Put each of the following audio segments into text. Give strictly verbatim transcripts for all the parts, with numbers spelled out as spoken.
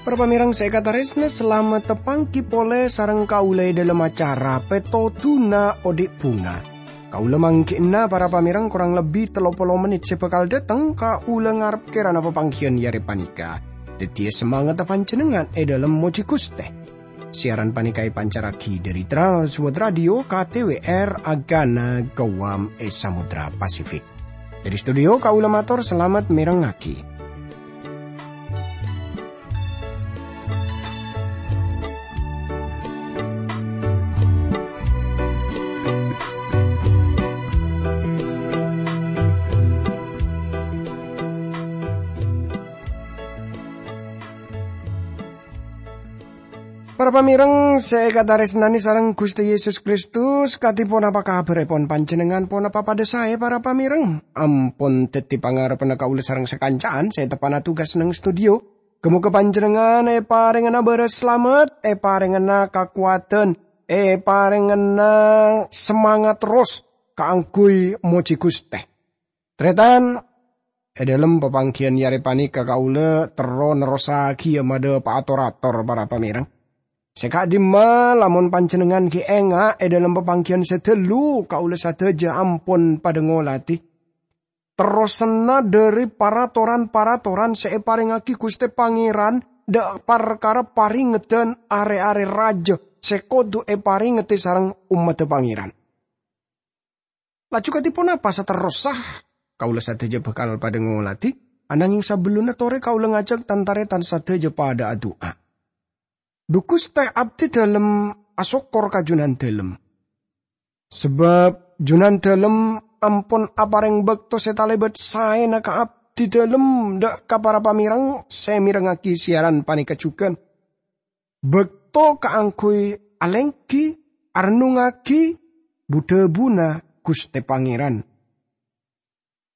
Para pamèrèng sè èkatarèsna, salamet tapangghi polè sareng kaulâ è dhâlem acara Pètodhuna Odi' Bhunga. Kaulâ mangghi'na para pamèrèng korang lebbi tello polo mennit sè bhâkal dâteng, kaulâ ngarep kèrana papangghiyân è arè panèka dhâddhiyâ samangatta panjhennengngan è dhâlem mojhi Ghustè. Siaran panèka èpancarraghi dhâri Trans World Radio K T W R Agana Guam è Samudra Pasifik. Dhâri studio kaulâ mator salamet mèrengngaghi. Para pamèrèng sè èkatarèsnanè sareng Ghustè Yesus Kristus, kadhi ponapa kabhârèpon panjhennengngan? Ponapa padhâ saè, para pamèrèng? Ampon dhâddhi pangarebbhânna kaulâ sareng sakanca'an sè teppa'na tugas neng studio. Ghâ-moghâ panjhennengngan èparèngana bârâs salamet, èparèngana kakowadhân, èparèngana samangat terros kaangghuy mojhi Ghustè. Tarètan, è dhâlem papangghiyân è arè panèka kaulâ terro nerrossaghiyâ madhâpa'a tor-ator para pamèrèng. Sè ka'dimma, lamon panjhennengngan ghi' enga' è dhâlem papangghiyân sè dhâllu, kaulâ sadhâjâ ampon padhâ ngolatè terrosanna dhâri paratoran-paratoran sè èparèngaghi Ghustè Pangèran dhâ' parkara parèngeddhân arè-arè rajâ sè kodhu èparèngedhâ sareng ommaddhâ Pangèran. Laju kadhi ponapa saterrossa? Kaulâ sadhâjâ bhâkal padhâ ngolatè, ananghing sabellunna torè kaulâ ngajhâk tan-tarètan sadhâjâ padhâ adu'a. Dhu Ghustè, abdhi dhâlem asokkor ka Jhunandhâlem. Sabâb Jhunandhâlem ampon aparèng bâkto sè talèbât saèna ka abdhi dhâlem dhâ' ka para pamèrèng sè mèrengngaghi siaran panèka jhughân. Bâkto kaangghuy alèngghi, arennungngaghi bu-dhâbuna Ghustè Pangèran.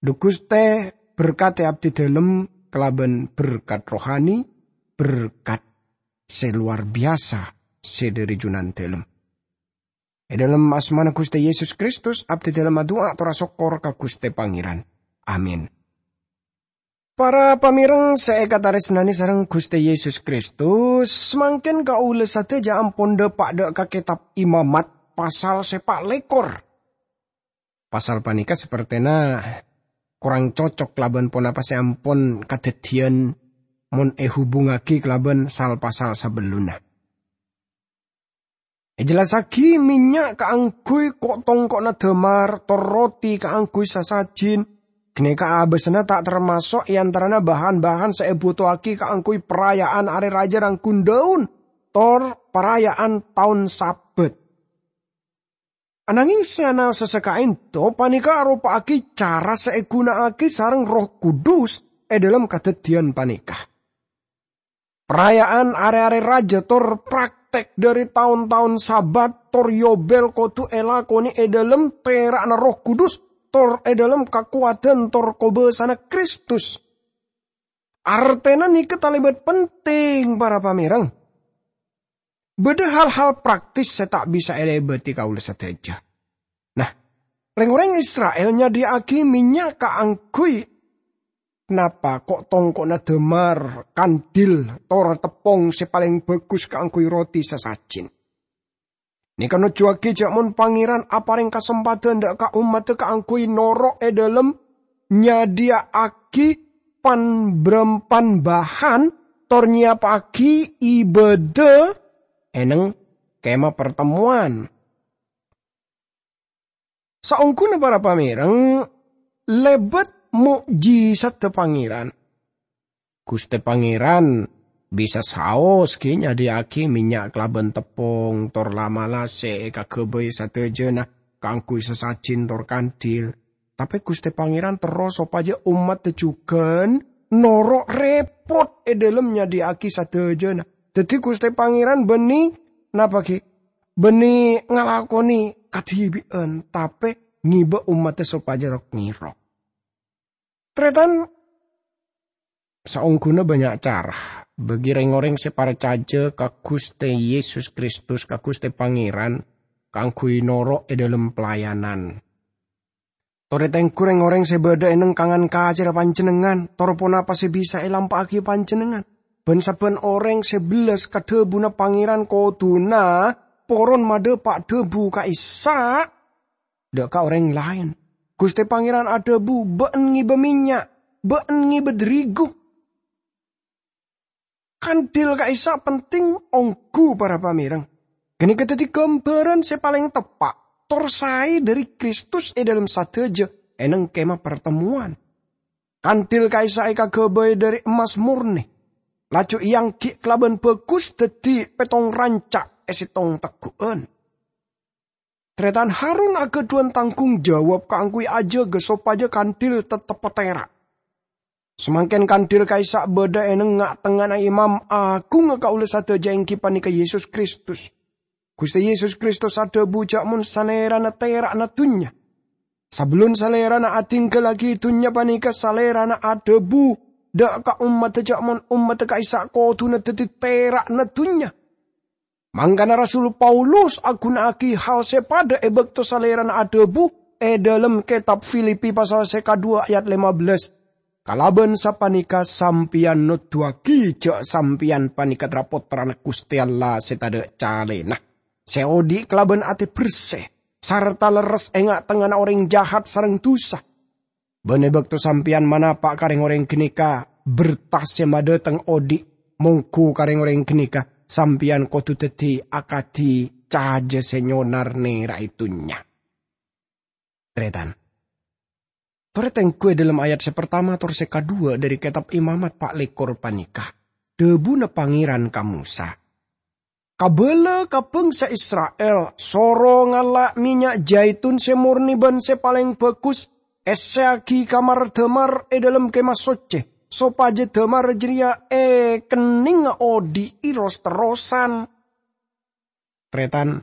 Dhu Ghustè, berkadhi abdhi dhâlem kalabân berkat rohani, berkat sè lowar biyasa sè dhâri Jhunandhâlem. È dhâlem asmana Ghustè Yesus Kristus, abdhi dhâlem adu'a tor asokkor ka Ghustè Pangèran. Amin. Para pamèrèng sè èkatarèsnanè sareng Ghustè Yesus Kristus, samangkèn kaulâ sadhâjâ ampon dhâpa' dhâ' ka Kètab Imamat, pasal sè pa' lèkor. Pasal panèka sapertèna korang cocok kalabân ponapa sè ampon kadhâddhiyân mon èhubungngaghi kalabân sal-pasal sabellunna. Èjellassaghi mènnya' kaangghuy ko'-tongko'na dâmar, tor roti kaangghuy sasajin. Ghânèka abâsana ta' tarmaso' è antarana bahan-bahan sè èbhuto'aghi kaangghuy paraya'an Arè Rajâ Rangghun Dâun, tor paraya'an Taon Sabat. Ananghing sè anaossa sè ka'ènto panèka aropa'aghi cara sè èghuna'aghi sareng Erroh Kudus è dhâlem kadhâddhiyân panèka. Paraya'an Arè-arè Rajâ tor praktek dhâri taon-taon Sabat tor Yobel kodhu èlakonè è dhâlem tèra'na Erroh Kudus tor è dhâlem kakowadhân tor kobâsana Kristus. Artèna nèka talèbât penting, para pamèrèng. Bâdâ hal-hal praktis sè ta' bisa èlèbâdhi kaulâ sadhâjâ. Nah, rèng-orèng Isra'il nyadhiyâ'aghi mènnya' kaangghuy napa ko'-tongko'na dâmar, kandil, tor teppong sè palèng bhâghus kaangghuy roti sasajin. Nèka nojjhuwâghi jhâ' mon Pangèran aparèng kasempadhân dhâ' ka ommaddhâ kaangghuy noro' è dhâlem nyadhiyâ'aghi pan-brampan bahan tor nyèyappaghi ibâdâ è neng Kemah Partemmowan. Saongghuna para pamèrèng, lèbât mo'jisadhâ Pangèran. Ghustè Pangèran bisa saos ghi nyadhiyâ'aghi mènnya' kalabân teppong tor la'-mala' sè èkaghâbây sadhâjâna kaangghuy sasajin tor kandil. Tapè Ghustè Pangèran terro sopajâ ommaddhâ jhughân noro' rèpot è dhâlem nyadhiyâ'aghi sadhâjâna. Dhâddhi Ghustè Pangèran bânnè napa ghi? Bânnè ngalakonè kadhibi'ân, tapè ngibâ ommaddhâ sopajâ rok-ngèrok. Tarètan, Saongghuna bannya' cara bagi reng-oreng se parcaja ka Guste Yesus Kristus, ka Guste Pangeran, kaangguy noro' e dhalem pelayanan. Tore tenggu reng-oreng se badha e nengkangan kacerra panjennengngan, tor ponapa se bisa elampa'agi panjennengngan? Ban sabban oreng se bellas ka dhabuna Pangeran koduna poron madhapa' dhabu ka'issa' dha' ka oreng laen. Guste Pangeran adhabu, "Ba'en ngeba mennya', ba'en ngeba darigu." Kandil ka'issa' penting onggu para pamereng. Ganeka daddi gambaran se paleng teppa' tor sae dhari Kristus e dhalem sadaja e neng Kemah Partemmowan. Kandil ka'issa' ekagabay dhari emmas morne, laju eanggi' kalaban bagus daddi pettong ranca' e settong teggu'an. Taretan, Harun agadhuwan tanggung jawab kaangguy ajaga sopaja kandil tettep patera'. Samangken kandil ka'issa' badha e neng-nga'-tengnga'anna Imam Agungnga kaula sadaja, enggi paneka Yesus Kristus. Guste Yesus Kristus adhabu ja' mon Salerana tera'na dunnya. Sabellun Salerana adinggallagi dunnya paneka, Salerana adhabu dha' ka ommadda ja' mon ommadda ka'issa' koduna daddi tera'na dunnya. Mangkana Rasul Paulus aguna'agi hal se padha e bakto Salerana adhabu e dhalem Ketab Filipi pasal se kadhuwa ayat lema bellas, "Kalaban sapaneka sampeyan noduwagi ja' sampeyan paneka tra-pottrana Guste Allah se tadha' calena, se odhi' kalaban ate berse, sarta lerres e nga'-tengnga'anna oreng jahat sareng dusa." Ban e bakto sampeyan manapa' ka reng-oreng ganeka berta se madhateng odhi', monggu ka reng-oreng ganeka sampeyan kodu daddi akadi caja se nyonar nera'e dunnya. Taretan, tore tenggu e dhalem ayat se partama tor se kadhuwa dhari Ketab Imamat pa' lekkor paneka, dhabuna Pangeran ka Mosa, "Kabala ka bangsa Isra'il, soro ngala' mennya' jaitun se morne ban se paleng bagus, esseyagi ka mar-damar e dhalem Kemah Socce, sopaja damar jareya ekennengnga odhi'i ros-terrosan." Taretan,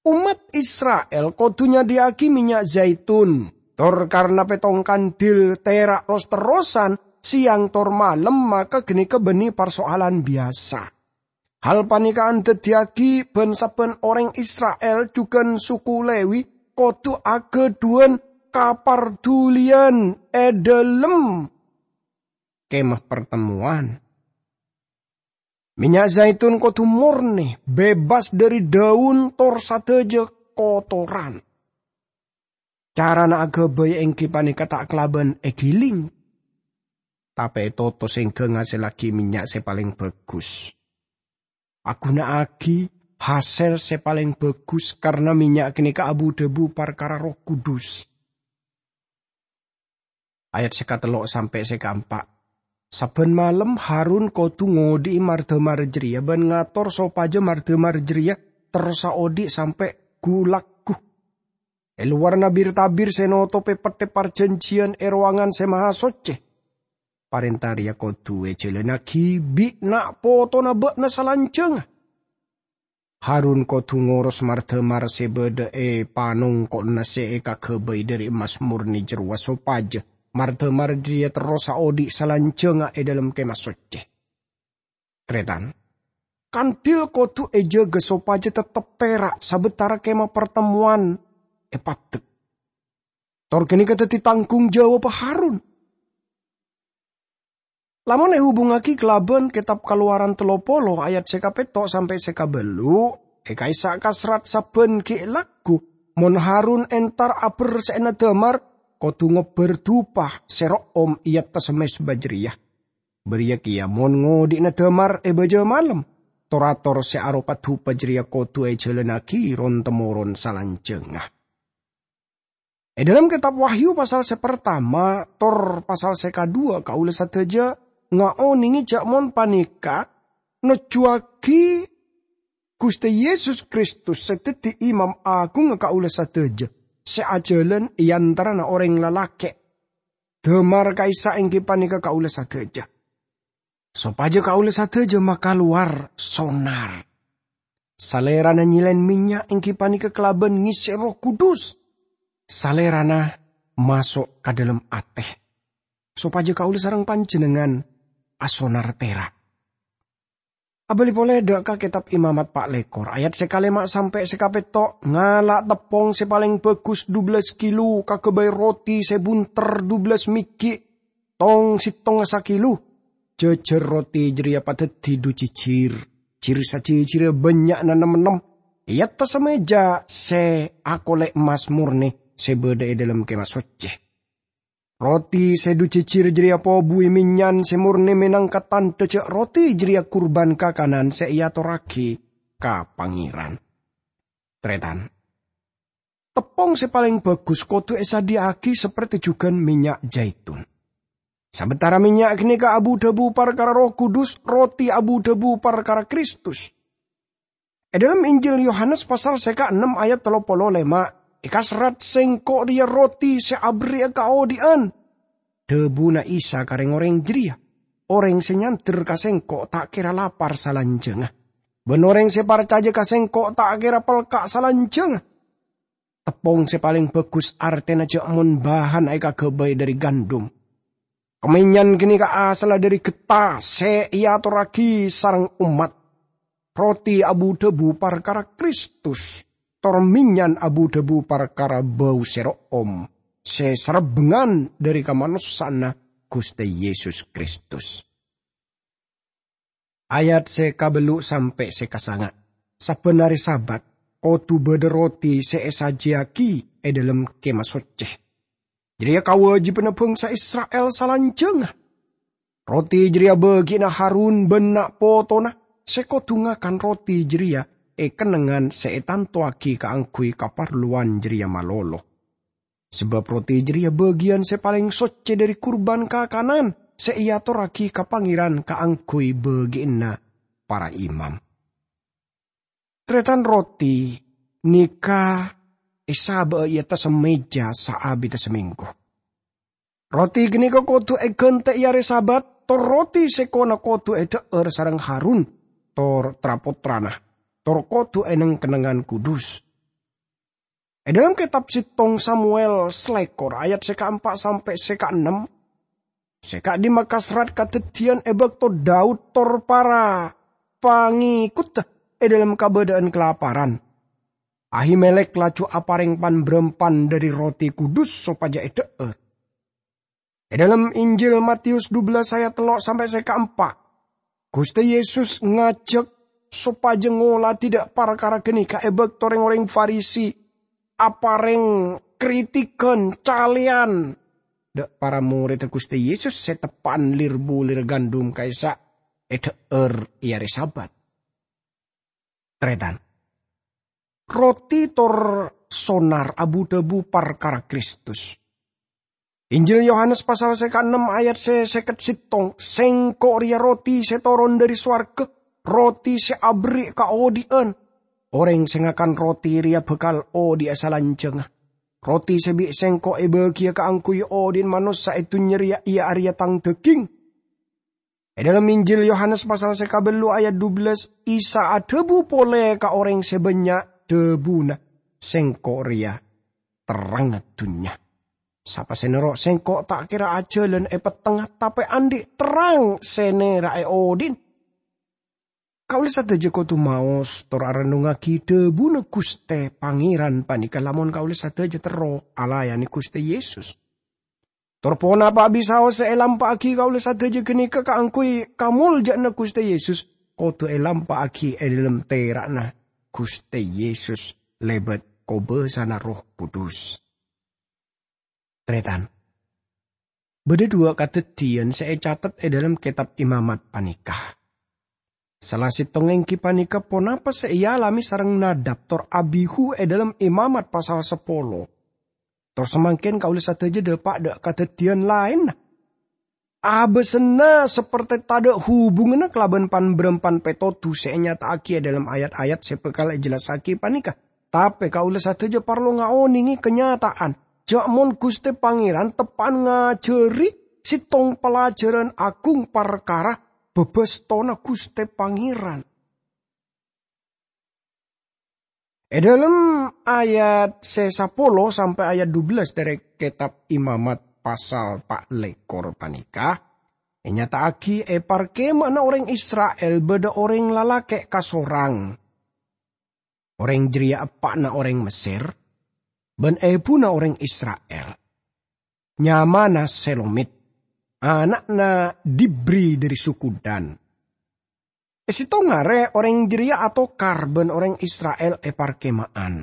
ommat Isra'il kodu nyadhiya'agi mennya' jaitun, tor karna pettong kandil tera' ros-terrosan seyang tor malem, maka ganeka banne parso'alan biyasa. Hal paneka andaddiyagi ban-sabban oreng Isra'il, jugan suku Lewi, kodu agadhuwan kaparduliyan e dhalem Kemah Partemmowan. Mennya' zaitun kodu morne, bebas dhari daun tor sadaja kotoran. Carana agabay enggi paneka ta' kalaban egiling, tape etoto sengga ngasellagi mennya' se paleng bagus. Aguna'agi hasel se paleng bagus, karna mennya' ganeka abu-dhabu parkara Erroh Kudus. Ayat se katello' sampe' se kaempa'. Sabban malem Harun kodu ngodhi'i mar-damar jareya ban ngator sopaja mar-damar jareya terrosa odhi' sampe' gu-lagghu e lowarra bir-tabir se notope Petthe Parjanjiyan e Rowangan Se Mahasocce. Parenta reya kodu ejalannagi bi' na'-potona ba'na salanjangnga. Harun kodu ngoros mar-damar se badha e panongko'na se ekagabay dhari emmas morne jarowa sopaja mar-damar jareya terrosa odhi' salanjangnga e dhalem Kemah Socce. Taretan, kandil kodu ejaga sopaja tettep tera' sabatara Kemah Partemmowan epaddek. Tor ganeka daddi tanggung jawabba Harun. Lamon ehubungngagi kalaban Ketab Kalowaran tello polo ayat se kapetto' sampe' se kaballu', e ka'issa' kasrat sabban gi' lagghu, mon Harun entar aberse'ana damar, kodu ngobbar dupa se ro'om e attassa mezba jareya. Bariya keya mon ngodhi'na damar e baja malem, tor-ator se aropa dupa jareya kodu ejalannagi ron-temmoron salanjangnga. E dhalem Ketab Wahyu pasal se partama tor pasal se kadhuwa, kaula sadaja ngaonenge ja' mon paneka nojjuwagi Guste Yesus Kristus se daddi Imam Agungnga kaula sadaja, se ajalan e antarana oreng lalake'. Damar ka'issa' enggi paneka kaula sadaja. Sopaja kaula sadaja makalowar sonar. Salerana nyelen mennya' enggi paneka kalaban ngesse Erroh Kudus. Salerana maso' ka dhalem ate. sopajâ kaulâ sareng panjhennengngan asonar tèra'. Abâli polè dâ' ka Kètab Imamat pa' lèkor, ayat sè kalèma' sampè' sè kapètto', ngala' teppong sè palèng bhâghus dubellâs kilo, kaghâbây roti sè bhunter dubellâs mèghi', tong sèttongnga sakilo. Jhâjhâr roti jârèya padâddhi dhu jhijhir, jhir-sajhijhirrâ bânnya'na nem-ennem, è attassa mèja sè akolè emmas mornè sè bâdâ è dâlem Kèma Soccè. Roti sè dhu jhijhir jârèya pobuwi mènyan sè mornè mènangka tandhâ jâ' roti jârèya kurban kakanan sè èatorraghi ka Pangèran. Tarètan, teppong sè palèng bhâghus kodhu èsadhiyâ'aghi saporè jhughân mènnya' jaitun. Sabâtara mènnya' ghânèka abu-dhâbu parkara Erroh Kudus, roti abu-dhâbu parkara Kristus. È dâlem Injil Yohanes pasal sè kaennem ayat tello polo lèma', èkaserrat, "Sèngko' rèya roti sè aberri'â kaodhi'ân." Dhâbuna Isa ka rèng-orèng jârèya, "Orèng sè nyander ka Sèngko' ta' kèra lapar salanjhângnga, bân orèng sè parcajâ ka Sèngko' ta' kèra pelka' salanjhângnga." Teppong sè palèng bhâghus artèna jâ' mon bahanna èkaghâbây dhâri gandum. Kamènyan ghânèka asalla dhâri ghettha sè èatorraghi sareng ommat. Roti abu-dhâbu parkara Kristus, tor mènyan abu-dhâbu parkara bâu sè ro'om sè sarebbengngan dhâri kamanossa'anna Ghustè Yesus Kristus. Ayat sè kabellu' sampè' sè kasanga'. Sabbhân arè Sabat, kodhu bâdâ roti sè èsajiyâghi è dâlem Kèma Soccè. Jârèya kawâjibhânna bhângsa Isra'il salanjhângnga. Roti jârèya bâgi'na Harun bân na'-potona sè kodhu ngakan roti jârèya è kennengngan sè ètantowaghi kaangghuy kaparlowan jârèya malolo. Sabâb roti jârèya bâgiyân sè palèng soccè dhâri kurban kakanan sè èatorraghi ka Pangèran kaangghuy bâgi'ânna para imam. Tarètan, roti nèka èsabâ'â è attassa mèja saabidda samènggu. Roti ghânèka kodhu èghântè è arè Sabat, tor roti sèkona kodhu èdhâ'âr sareng Harun, tor tra-pottrana, tor kodhu è neng-kennengngan kudus. È dâlem kètab sèttong Samuel salèkor ayat sè kaempa' sampè' sè kaennem, sè ka'dimma kaserrat kadhâddhiyân è bâkto Daud tor para pangèkoddhâ è dâlem kabâdâ'ân kalaparan. Ahimelek laju aparèng pan-bârâmpan dhâri roti kudus sopajâ èdhâ'âr. È dâlem Injil Matius dubellâs ayat tello' sampè' sè kaempa', Ghustè Yesus ngajhâk sopajâ ngolatè dâ' parkara ghânèka è bâkto rèng-orèng Farisi aparèng kritikan, calèyan dâ' para morèdda Ghustè Yesus sè teppa'an lir-bulir gandum ka'issa' èdhâ'âr è arè Sabat. Tarètan, roti tor sonar abu-dhâbu parkara Kristus. Injil Yohanes pasal sè kaennem ayat sè sèket sèttong, "Sèngko' rèya roti sè toron dhâri sowarghâ, roti sè aberri' kaodhi'ân. Orèng sè ngakan roti rèya bhâkal odhi'a salanjhângnga. Roti sè bi' Sèngko' èbâgiyâ kaangghuy odhi'na manossa è dhunnya rèya iyâ arèya Tang dhâging." È dâlem Injil Yohanes pasal sè kabellu ayat dubellâs, Isa adhâbu polè ka orèng sè bânnya', dhâbuna, "Sèngko' rèya terrangnga dhunnya. Sapa sè noro' Sèngko' ta' kèra ajhâlân è pettengnga, tapè andi' terrang sè nèra'è odhi'na." Kaulâ sadhâjâ kodhu maos tor arennungngaghi dhâbuna Ghustè Pangèran panèka lamon kaulâ sadhâjâ terro alayanè Ghustè Yesus. Tor ponapa bisaos sè èlampa'aghi kaulâ sadhâjâ ghânèka kaangghuy kamolja'anna Ghustè Yesus, kodhu èlampa'aghi è dâlem tèra'na Ghustè Yesus lèbât kobâsana Erroh Kudus. Tarètan, bâdâ dhuwâ' kadhâddhiyân sè ècatet è dâlem Kètab Imamat panèka. Sala sèttongnga èngghi panèka ponapa sè èalamè sareng Nadab tor Abihu è dâlem Imamat pasal sapolo. Tor samangkèn kaulâ sadhâjâ dâpa' dâ' kadhâddhiyân laènna. Abâsânna sapertè tadâ' hubunganna kalabân pan-bârâmpan pètodhu sè ènyata'aghi è dâlem ayat-ayat sè bhâkal èjellassaghi panèka. Tapè kaulâ sadhâjâ parlo ngaonèngè kanyata'an, jâ' mon Ghustè Pangèran teppa'an ngajhâri sèttong palajhârân aghung parkara bâbâstona Ghustè Pangèran. È dâlem ayat sè sapolo sampè' ayat dubellâs dhâri Kètab Imamat, pasal pa' lèkor panèka ènyata'aghi è parkèma'anna orèng Isra'il bâdâ orèng lalakè' kasorang. Orèng jârèya eppa'na orèng Messèr bân èbhuna orèng Isra'il. Nyamana Selomit, ana'na Dibri dâri suku Dan. È sèttong arè orèng jârèya atokar bân orèng Isra'il è parkèma'an.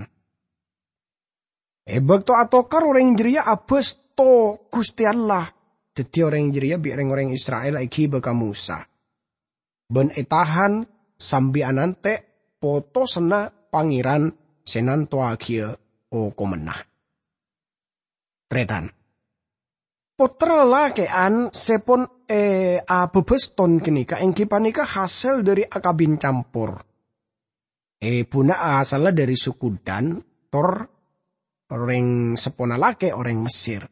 È bâkto atokar orèng jârèya abâsto Ghustè Allah, dhâddhi orèng jârèya bi' rèng-orèng Isra'il èghibâ ka Mosa, bân ètahan sambi anantè' potosanna Pangèran sè nantowaghi okomanna. Tarètan. Pottra lalakè'an sè pon è abâbâston ghânèka èngghi panèka hasèl dâri akabin campor. Èbhuna asalla dâri suku Dan, tor orèng seppona lakè' orèng Messèr.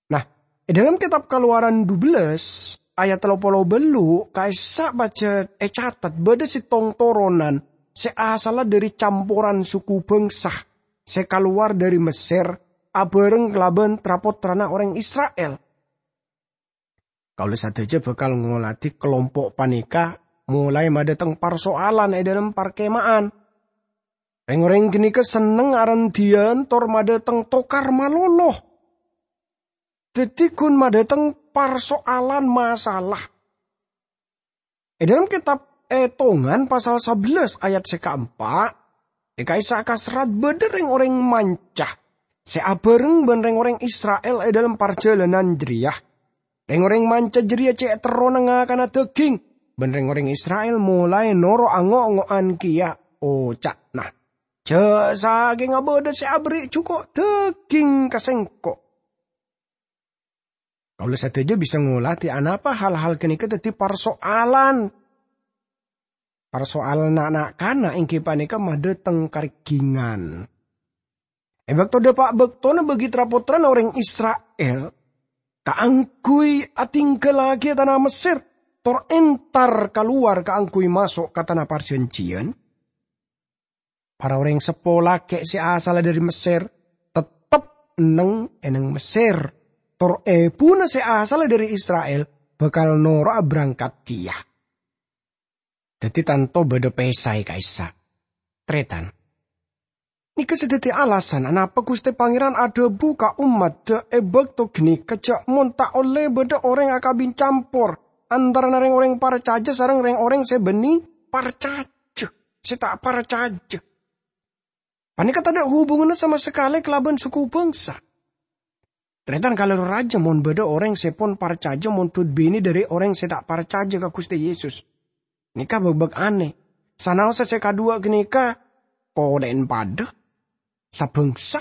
Nah, è dâlem kètab Kalowaran dubellâs ayat tello polo bâllu' ka'issa' pajhât ècatet bâdâ sèttong toronan sè asalla dâri camporan suku bhângsa sè kalowar dâri Messèr abhâreng kalabân tra-pottrana orèng Isra'il. Kaulâ sadhâjâ bhâkal ngolatè kalompo' panèka molaè madâteng parsoalan è dâlem parkèma'an. Rèng-orèng ghânèka senneng arandhiyân tor madâteng tokar malolo. Dhâddhi ghun madâteng parsoalan masalah. È dâlem kètab Ètongan pasal sabellâs ayat sè kaempa', è ka'issa' kaserrat bâdâ rèng-orèng manca sè abhâreng bân rèng-orèng Isra'il è dâlem parjhâlânan jârèya. Rèng-orèng manca jârèya cè' terrona ngakana dhâghing, bân rèng-orèng Isra'il molaè noro' ango'-ngo'an kèya oca'na, "Jhâ' sakènga bâdâ sè aberri' jhuko' dhâghing ka sèngko'." Kaulâ sadhâjâ bisa ngolatè anapa hal-hal ghânèka dhâddhi parsoalan. Parsoalanna na'-kana' èngghi panèka madâteng karèghingan. È bâkto dâpa' bâktona bagi tra-pottrana orèng Isra'il kaangghuy atingghâllaghi tana Messèr, tor entar kalowar kaangghuy maso' ka Tana Parjhânjhiyân, para orèng seppo lakè' sè asalla dâri Messèr tettep neng-èneng Messèr, tor èbhuna sè asalla dâri Isra'il bhâkal noro'a aberangkat kèya. Dhâddhi tanto bâdâ pèsaè ka'issa'. Tarètan. Nèka sè dhâddhi alasan anapa Ghustè Pangèran adhâbu ka ommaddhâ è bâkto ghânèka jhâ' mon ta' ollè bâdâ orèng akabin campor antarana rèng-orèng parcajâ sareng rèng-orèng sè bânnè parcajâ, sè ta' parcajâ. Panèka tadâ' hubunganna sama sakalè kalabân suku bhângsa. Tarètan kalèro rajâ mon bâdâ orèng sè pon parcajâ mondhut binè dâri orèng sè ta' parcajâ ka Ghustè Yesus. Nèka bâk-bâk anè. Sanaossa sè kaduwâ' ghânèka kodhâ'en padâ, sabhângsa.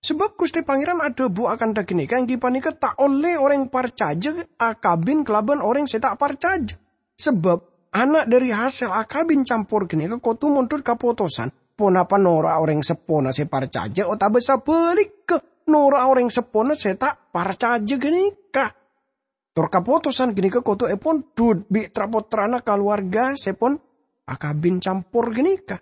Sabâb Ghustè Pangèran adhâbu akantha ghânèka èngghi panèka ta' ollè orèng parcajâ akabin kalabân orèng sè ta' parcajâ. Sabâb ana' dâri hasèl akabin campor ghânèka kodhu mondhut kapotosan, ponapa noro'a orèng seppona sè parcajâ otabâ sabhâligghâ noro'a orèng seppona sè ta' parcajâ ghânèka. Tor kapotosan ghânèka kodhu èpondhut bi' tra-pottrana kalowarga sè pon akabin campor ghânèka.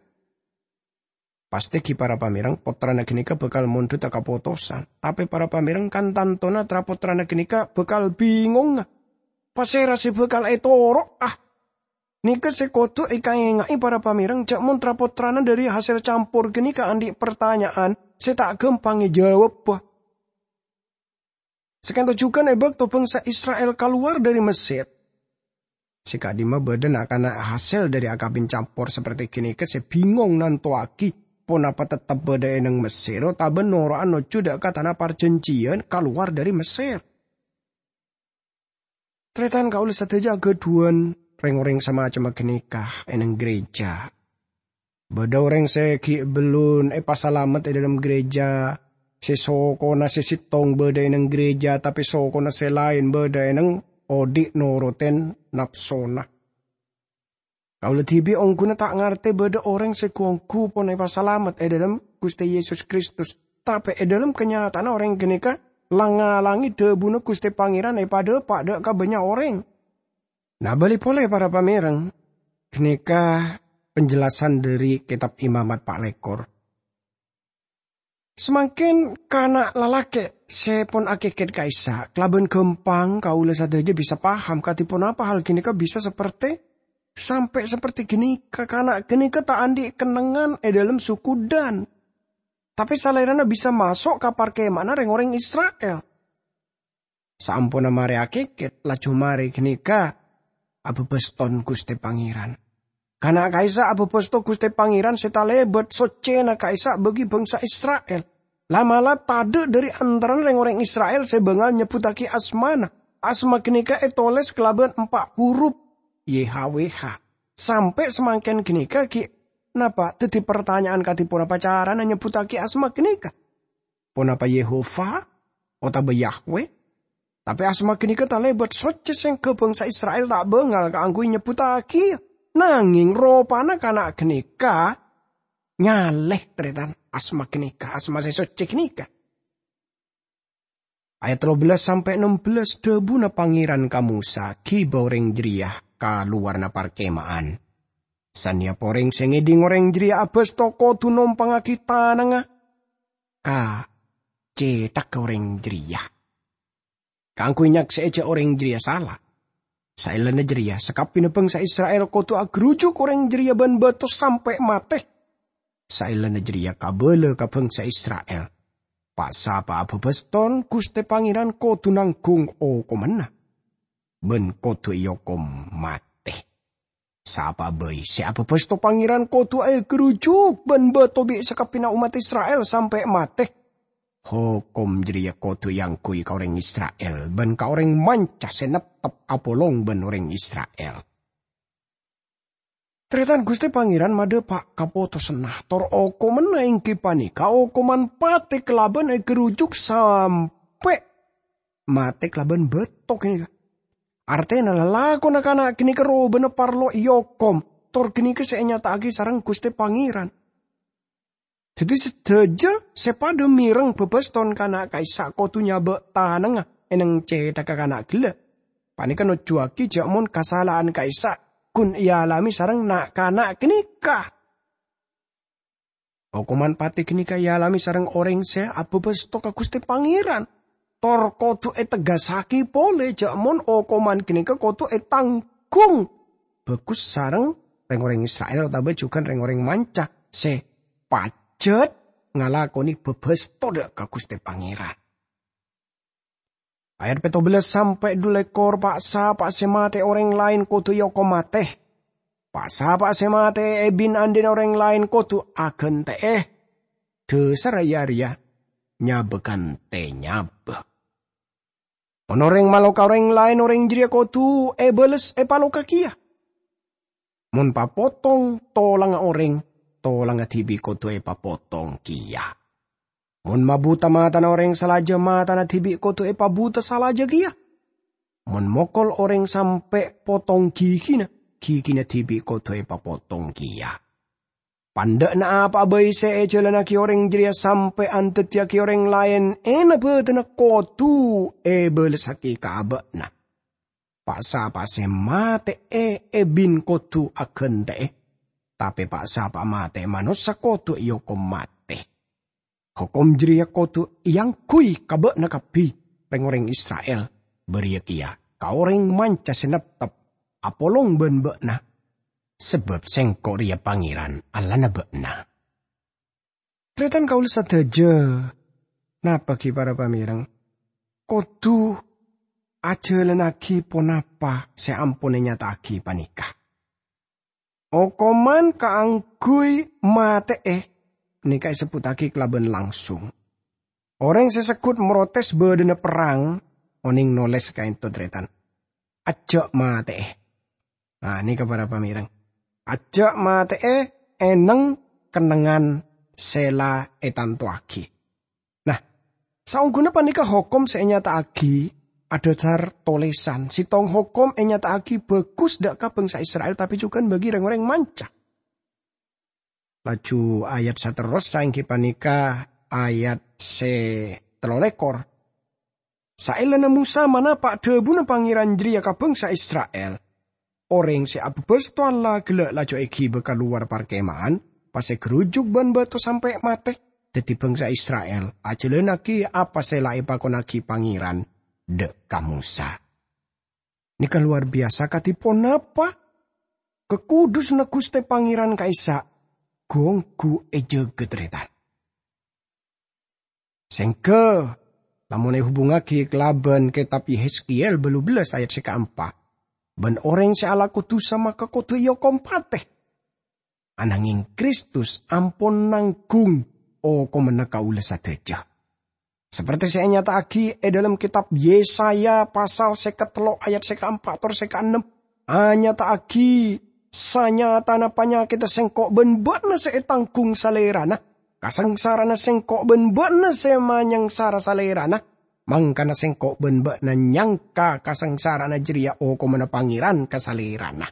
Pastè ghi para pamèreng pottrana ghânèka bhâkal mondhuta kapotosan, tapè para pamèreng kan tantona tra-pottrana ghânèka bhâkal bingongnga. Pasèra sè bhâkal ètoro'a? Nèka sè kodhu èkaènga'è para pamèreng jhâ' mon tra-pottrana dâri hasèl campor ghânèka andi' partanya'an sè ta' ghâmpang èjâwâbbhâ. Sakènto jhughân è bâkto bhângsa Isra'il kalowar dâri Messèr, sè ka'dimma bâdâ na'-kana' hasèl dâri akabin campor saperti ghânèka sè bingong nantowaghi ponapa tettep bâdâ è neng Messèr otabâ noro'a nojjhu dâ' ka Tana Parjhânjhiyân kalowar dâri Messèr. Tarètan kaulâ sadhâjâ aghâdhuwân rèng-orèng samacemma ghânèka è neng ghârèjâ. Bâdâ orèng sè ghi' bellun èpasalamet è dâlem ghârèjâ, sè sokona sè sèttong bâdâ è neng ghârèjâ, tapè sokona sè laèn bâdâ è neng odi' norotèn napsona. Kaulâ dhibi' ongghuna ta' ngartè bâdâ orèng sè ghu-ongghu pon èpasalamet è dâlem Ghustè Yesus Kristus, tapè è dâlem kanyata'anna orèng ghânèka lang-ngalangè dhâbuna Ghustè Pangèran èpadâpa' dâ' ka bânnya' orèng. Nah, bâli polè, para pamèreng, ghânèka penjelasan dâri Kètab Imamat pa' lèkor. Samangkèn kana' lalakè' sè pon akèkèt ka'issa', kalabân ghâmpang kaulâ sadhâjâ bisa paham kadhi ponapa hal ghânèka bisa saperte, sampè' saperte ghânèka. Kana' ghânèka ta' andi' kennengngan è dhâlem suku Dan, tapè salèrana bisa maso' ka parkèma'anna rèng-orèng Isra'il. Saamponna marè akèkèt, laju marè ghânèka abâbâston Ghustè Pangèran. Kana' ka'issa' abâbâsto Ghustè Pangèran sè talèbât soccèna ka'issa' bagi bhângsa Isra'il. La'-mala' tadâ' dhâri antarana rèng-orèng Isra'il sè bângal nyebbhuttaghi asmana. Asma ghânèka ètolès kalabân empa' huruf, Y H W H. Sampè' samangkèn ghânèka ghi' napa' dhâddhi partanya'an kadhi ponapa carana nyebbhuttaghi asma ghânèka? Ponapa Yehova otabâ Yahweh? Tapè asma ghânèka talèbât soccè sèngghâ bhângsa Isra'il ta' bângal kaangghuy nyebbhuttaghiyâ. Nangèng ropana kana' ghânèka nyalè, tarètan, asma ghânèka, asma sè soccè ghânèka. Ayat tello bellas sampè' ennem bellas, dhâbuna Pangèran ka Mosa, "Ghibâ orèng jârèya ka lowarra parkèma'an. Sanèyap orèng sè ngèdhing orèng jârèya abâsto kodhu nompangngaghi tanangnga ka cèthagghâ orèng jârèya, kaangghuy nyaksè'è jâ' orèng jârèya sala. Saellana jârèya, sakabbhiyânna bhângsa Isra'il kodhu aghârujuk orèng jârèya bân bâto sampè' matè. Saellana jârèya, kabâlâ ka bhângsa Isra'il, pa'-sapa'a abâbâston Ghustè Pangèran kodhu nangghung okomanna, bân kodhu èokom matè. Sapa'a bhâi sè abâbâsto Pangèran kodhu ègârujuk bân bâto bi' sakabbhiyânna ommat Isra'il sampè' matè. Hokom jârèya kodhu èangghuy ka orèng Isra'il bân ka orèng manca sè neptep apolong bân orèng Isra'il." Tarètan, Ghustè Pangèran madhâpa' kapotosanna, tor okomanna èngghi panèka okoman patè kalabân ègârujuk sampè' matè kalabân bâto ghânèka. Artèna, lalakonna kana' ghânèka robâna parlo èokom, tor ghânèka sè ènyata'aghi sareng Ghustè Pangèran. Dhâddhi, sadhâjâ sè padâ mèreng bâbâston kana' ka'issa' kodhu nyabâ' tanangnga è neng cèthagghâ kana' ghellâ'. Panèka nojjhuwâghi jâ' mon kasala'an ka'issa' ghun èalamè sareng na'-kana' ghânèka. Okoman patè ghânèka èalamè sareng orèng sè abâbâsto ka Ghustè Pangèran, tor kodhu ètegghâssaghi polè jâ' mon okoman ghânèka kodhu ètangghung bhâghus sareng rèng-orèng Isra'il otabâ jhughân rèng-orèng manca sè pajhât ngalakonè bâbâsto dâ' ka Ghustè Pangèran. Ayat pètto bellas sampè' dhu lèkor, "Pa'-sapa'a sè matè'è orèng laèn kodhu èokom matè. Pa'-sapa'a sè matè'è è bin-andinna orèng laèn kodhu aghântè'è. Dhâsarra iyâ arèya nyabâ ghântè nyabâ. Mon orèng maloka orèng laèn, orèng jârèya kodhu èbâles èpaloka kèya. Mon papotong tolangnga orèng, tolangnga dhibi' kodhu èpapotong kèya. Mon mabuta matana orèng salajâ, matana dhibi' kodhu èpabuta salajâ kèya. Mon mokol orèng sampè' potong ghighina, ghighina dhibi' kodhu èpapotong kèya. Pandâ'na apa'a bhâi sè èjhâlânnaghi orèng jârèya sampè' andaddiyâghi orèng laèn ènna bâdânna kodhu èbâlessaghi ka abâ'na. Pa'-sapa'a sè matè'è è bin kodhu aghântè'è, tapè pa'-sapa'a matè'è manossa kodhu èokom matè. Hokom jârèya kodhu èangghuy ka bâ'na kabbhi, rèng-orèng Isra'il, bâriyâ kèya ka orèng manca sè neptep apolong bân bâ'na, sabâb Sèngko' rèya Pangèran, Allahna bâ'na." Tarètan kaulâ sadhâjâ, napa ghi para pamèreng? Kodhu ajhâlânnaghi ponapa sè ampon ènyata'aghi panèka. Okoman kaangghuy matè'è nèka èsebbhuttaghi kalabân langsung. Orèng sè segghut mrotès bâdâna perrang, onèng nolès kaènto, tarètan. Ajjhâ' matè'è. Nah, nèka para pamèreng. Ajjhâ' matè'è è neng kennengngan sè la ètantowaghi. Nah, saongghuna panèka hokom sè ènyata'aghi adhâsar tolèsan. Sèttong hokom ènyata'aghi bhâghus dâ' ka bhângsa Isra'il, tapè jhughân bagi rèng-orèng manca. Laju ayat saterrossa èngghi panèka ayat sè tello lèkor. Saellana Mosa manapa' dhâbuna Pangèran jârèya ka bhângsa Isra'il, orèng sè abâbâs towan la ghellâ' laju èghibâ ka lowar parkèma'an, pas ègârujuk bân bâto sampè' matè. dhâddhi bhângsa Isra'il, ajhâlânnaghi apa sè la èpakonnaghi Pangèran dâ' ka Mosa. Nèka lowar biyasa kadhi ponapa? Kakudusânna Ghustè Pangèran ka'issa' ghu-ongghu èjâgâ tarètan. Sèngghâ, lamon èhubungngaghi kalabân kètab Yehezkiel bâllu bellas ayat sè kaempa', "Bân orèng sè alako dhusa maka kodhu èokom patè. Ananghèng Kristus ampon nangghung okomanna kaulâ sadhâjâ." Saperti sè ènyata'aghi è dhâlem kètab Yesaya pasal sèket tello' ayat sè kaempa' tor sè kaennem, anyata'aghi, "Sanyatana panyakèdhâ sèngko' bân bâ'na sè ètangghung Salèrana, kasangsarana sèngko' bân bâ'na sè manyangsara Salèrana, mangkana sèngko' bân bâ'na nyangka kasangsarana jârèya okomanna Pangèran ka Salèrana."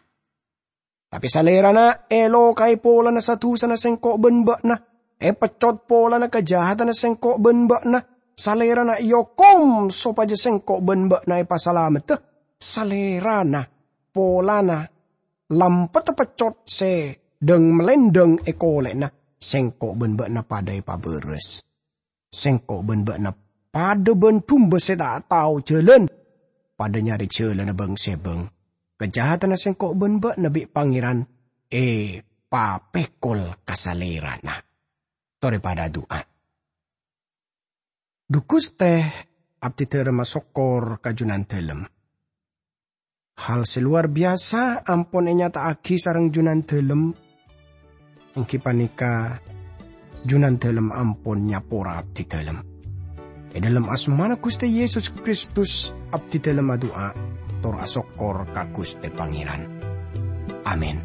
Tapè Salèrana èlokaè polana sa-dhusana sèngko' bân bâ'na, èpeccot polana kajahatanna sèngko' bân bâ'na. Salèrana èokom sopajâ sèngko' bân bâ'na èpasalameddhâ. Salèrana polana lampetta peccot sè dhâng-malèndhâng è kolè'na, sèngko' bân bâ'na padâ èpabârâs. Sèngko' bân bâ'na padâ bân dumba sè ta' tao jhâlân, padâ nyarè jhâlânna bâng-sèbâng. Kajahatanna sèngko' bân bâ'na bi' Pangèran èpapèkol ka Salèrana. Torè padâ adu'a. Dhu Ghustè, abdhidhâ rèma sokkor ka Junandhâlem. Hal sè lowar biyasa ampon ènyata'aghi sareng Junandhâlem, èngghi panèka Junandhâlem ampon nyapora abdhidhâlem. È dhâlem asmana Ghustè Yesus Kristus, abdhidhâlem adu'a tor asokkor ka Ghustè Pangèran. Amin.